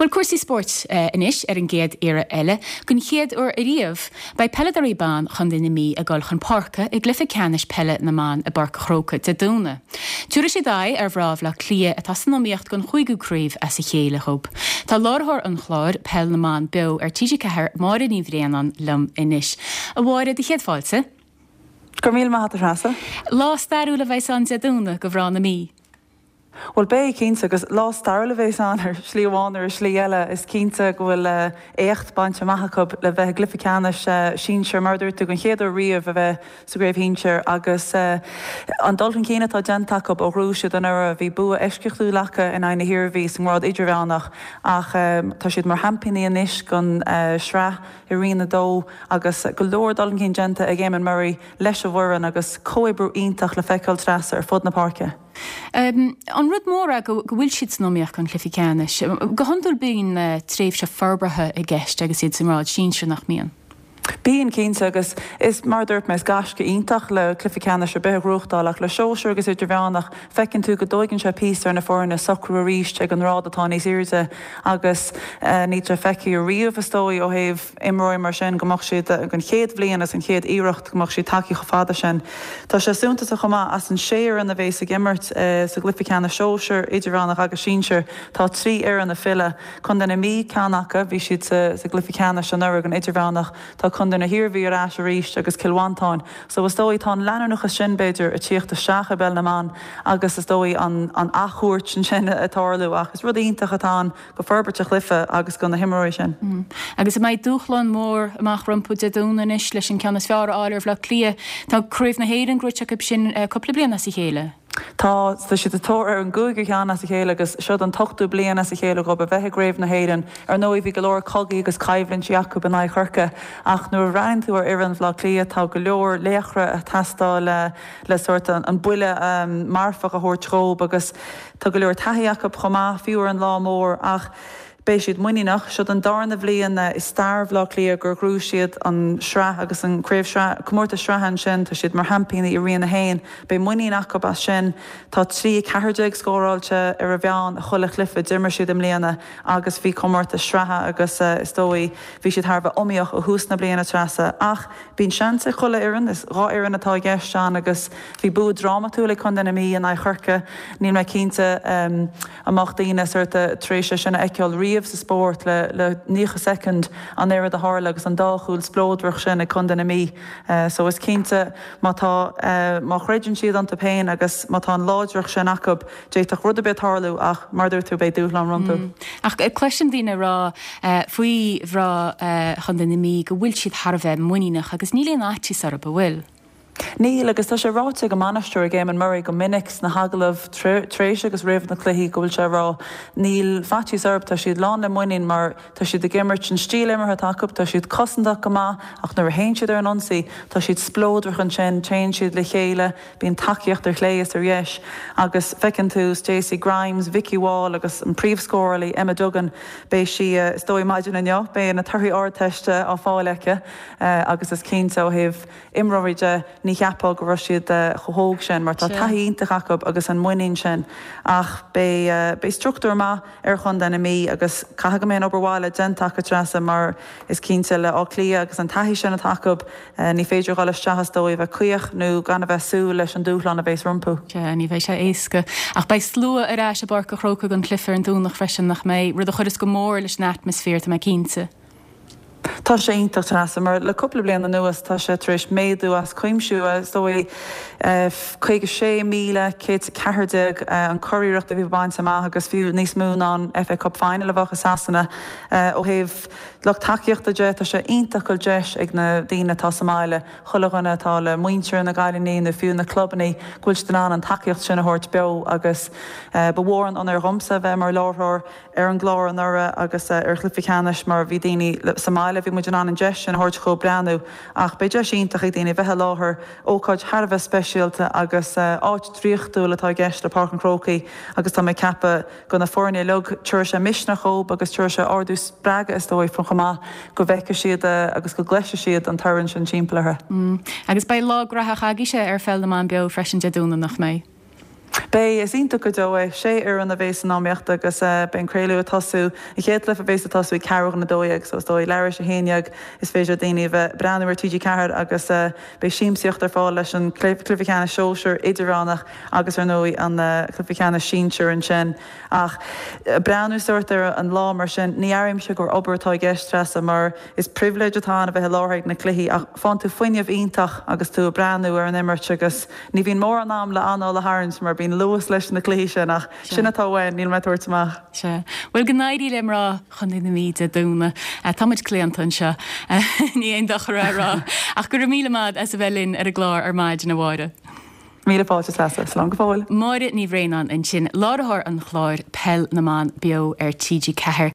Bhuel, cúrsaí spóirt anois ar an gcéad iarraidh eile. Don chéad uair ariamh, beidh peileadóirí ban Chontae na Mí ag dul chun páirce i gcluiche ceannais peile na mban i bPáirc an Chrócaigh Dé Domhnaigh. Tabharfaidh siad aghaidh ar mhná Bhaile Átha Cliath atá san iomaíocht don chúigiú craobh as a chéile dhóibh. Tá láithreoir an chláir, Peil na mBan Beo ar TG4, Máire Ní Bhraonáin liom anois. A Mháire, do chéad fáilte. Go raibh míle maith agat a Threasa. Lá stairiúil a bheas ann Dé Domhnaigh do mhná na Mí. Bhuel beidh, cinnte, agus lá stairiúil a bheas ann ar shlí amháin nó ar shlí eile. Is cinnte go bhfuil éacht bainte amach acu le bheith i gcluiche ceannais sinsir, mar a dúirt tú, den chéad uair riamh a bheith sa gcraobh shinsir agus an dul chun cinn atá déanta acu ó ghnóthaigh siad anuraidh. Bhí bua eisceachtúil acu in aghaidh na hIarmhí sa ngrád idirmheánach ach tá siad mar sheaimpíní anois den sraith i Roinn 2 agus go leor dul chun cinn déanta ag Éamonn Murray leis an bhfoireann agus comhoibriú iontach le feiceáil Treasa ar fud na páirce. An rud mór é go bhfuil siad san iomaíocht don chluiche ceannais. Go hiondúil bíonn tréimhse forbartha i gceist agus iad sa ngrád sinsir, nach mbíonn? Bíonn, cinnte, agus is, mar a dúirt mé, is gaisce iontach le cluiche ceannais ar bith a ghnóthachtáil ach le sóisear agus idirmheánach, feiceann tú go dtóigeann sé píosa ar na foirne socrú arís ag an ngrád atá níos airde agus níl sé feicthe riamh, is dóigh, ó thaobh imreoirí mar sin go mbeadh siad, an chéad bhliain agus an chéad iarracht go mbeadh siad tagtha chomh fada sin. Tá sé suntasach chomh maith, as an sé fhoireann a bhéas ag imirt sa gcluiche ceannais sóisear, idirmheánach agus sinsir, tá 3 fhoireann ag filleadh. Contae na Mí ceann acu, bhí siad sa gcluiche ceannais anuraidh an idirmheánach, tá Contae na hIarmhí ar ais arís agus Cill Mhantáin. So is dóigh tá an leanúnachas sin b'fhéidir ag tíocht isteach i bpeil na mban agus is dóigh an an athchuairt ansin ag tarlú ach is rud iontach atá ann go forbairt an chluiche agus go na himreoirí sin. Agus an mbeidh dúshlán mór amach rompu Dé Domhnaigh anois leis an ceann is fearr a fháil ar Bhaile Átha Cliath? Tá Craobh na hÉireann gnóite acu sin cúpla bliain as a chéile. Tá, tá siad sa tóir ar an gcúigiú ceann as a chéile agus seod an t-ochtú bliain as a chéile dhóibh a bheith i gCraobh na hÉireann. Ar ndóigh bhí go leor cogaí agus coimhlintí acu in aghaidh Chorcaí ach nuair a bhreathnaíonn tú ar fhoireann Bhaile Átha Cliath tá go leor laochra ag teastáil le sórt an buille marfach a thabhairt dhóibh agus tá go leor taithí acu chomh maith, fiú ar an lá mór ach beidh siad muiníneach. Seod an darna bhliain i stair Bhaile Átha Cliath gur ghnóthaigh siad an sraith agus an craobh sraith, comórtas sraithe ansin. Tá siad mar sheaimpíní i Roinn 1. Beidh muinín acu as sin. Tá 3 14 scóráilte ar a mheán i chuile chluiche a d'imir siad i mbliana agus bhí comórtas sraithe agus is dóigh bhí siad thar a bheith iomaíoch ó thús na bliana Treasa ach Bíonn seans ag chuile fhoireann, is 2 fhoireann atá i gceist ann agus bhí bua drámatúil ag Contae na Mí in aghaidh Chorcaí. Níl mé cinnte an mbeadh daoine sórt tar éis é sin a fheiceáil riamh sa spórt le le 90 soicind an oiread a tharla agus an dá chúl spleodrach sin ag Contae na Mí. So is cinnte má tá má chreideann siad iontu féin agus má tá an láidreacht sin acu, D'fhéadfadh rud ar bith tarlú ach, mar a dúirt tú, beidh dúshlán rompu. Ach cloisim daoine ag rá faoi mhná Chontae na Mí go bhfuil siad thar a bheith muiníneach agus níl aon fhaitíos orthu, an bhfuil? Níl, agus tá sé ráite ag an mbainisteoir, ag Éamonn Murray, go minic sna hagallaimh tar éis agus roimh na cluichí go bhfuil sé ag rá, níl faitíos orthu, tá siad lán le muinín mar tá siad ag imirt an stíl imeartha atá acu, tá siad cosantach go maith ach nuair a théann siad ar an ionsaí, tá siad spleodrach ansin, téann siad le chéile. Bíonn tacaíocht ar chlé is ar dheis agus feiceann tú Stacey Grimes, Vikki Wall agus an príomhscórálaí Emma Duggan, beidh sí, is dóigh maidin inniu, beidh na torthaí Ardteiste á fáil aici agus is cinnte ó thaobh imreoirí de, ní cheapfá go raibh siad chomh hóg sin mar tá taithí iontach acu agus an muinín sin ach beidh, beidh struchtúr maith ar chontae na Mí agus caithfidh go mbeidh an obair bhaile déanta acu Treasa mar is cinnte le Áth Cliath agus an taithí sin atá acu Ní féidir dhul isteach is dóigh a bheith caoch nó gan a bheith súil leis an dúshlán a bhéas rompu. Sea, ní bheidh sé éasca. Ach beidh slua ar ais i bPáirc an Chrócaigh don chluiche ar an Domhnach freisin, nach mbeidh? Rud a chuireas go mór leis an atmaisféar, tá mé cinnte. Tá sé iontach, Treasa, mar le cúpla bliain anuas tá sé tar éis méadú as cuimse, is dóigh. 56,114 an curiarracht a bhí bainte amach agus fiú níos mó ná an FA Cup Final a bheadh i Sasana ó thaobh Lucht tacaíochta de, tá sé iontach go bhfuil deis ag na daoine atá sa mbaile, chuile dhuine atá le muintir na gcailíní nó fiú na clubannaí, go bhfuil siad in ann an tacaíocht sin a thabhairt beo agus ba mhór an onóir dhomsa a bheith mar láithreoir ar an gclár anuraidh agus ar chluiche ceannais mar bhí daoine sa mbaile, bhí muid in ann an deis sin a thabhairt dhóibh breathnú ach beidh deis iontach ag daoine bheith i láthair, ócáid thar a bheith speisialta agus áit draíochtúil atá i gceist le Páirc an Chrócaigh agus tá mé ag ceapadh go na foirne uilig, tabharfaidh sé misneach dhóibh agus tabharfaidh sé ardú spreagadh is dóigh chomh maith go bhfeicfidh siad agus go gcloisfidh siad an torann sin timpeall orthu. Agus beidh lá graitheach agaibhse ar Pheil na mBan Beo freisin Dé Domhnaigh, nach mbeidh? Beidh, is iontach go deo é. Sé fhoireann a bheas san iomaíocht agus beidh an craoladh ag tosú, an chéad chluiche a bheas ag tosú ag ceathrú chun 12 so is dóigh leathuair tar éis 11 is féidir le daoine a bheith ag breathnú ar TG4 agus beidh siamsaíocht ar fáil leis an cluiche ceannais sóisir idirmheánach agus ar ndóigh an cluiche ceannais sinsir ansin. Ach breathnú sórt ar an lá mar sin, ní airímse gur obair atá i gceist, Treasa, mar is pribhléid atá ann a bheith i láthair ag na cluichí ach faigheann tú fuinneamh iontach agus tú ag breathnú ar an imirt agus ní bhíonn mórán am le anáil a tharraingt mar bíonn luas leis na cluichí sin ach sin atá uainn, níl mé ag tabhairt amach. Sea. Bhuel, go n-éirí le mná Chontae na Mí Dé Domhnaigh. Tá muid claonta anseo, ní aon dochar é a rá. Ach go raibh míle maith as a bheith linn ar an gclár ar maidin, a Mháire. Míle fáilte, Treasa. Slán go fóill. Máire Ní Bhraonáin ansin, láithreoir an chláir Peil na mBan beo ar TG4.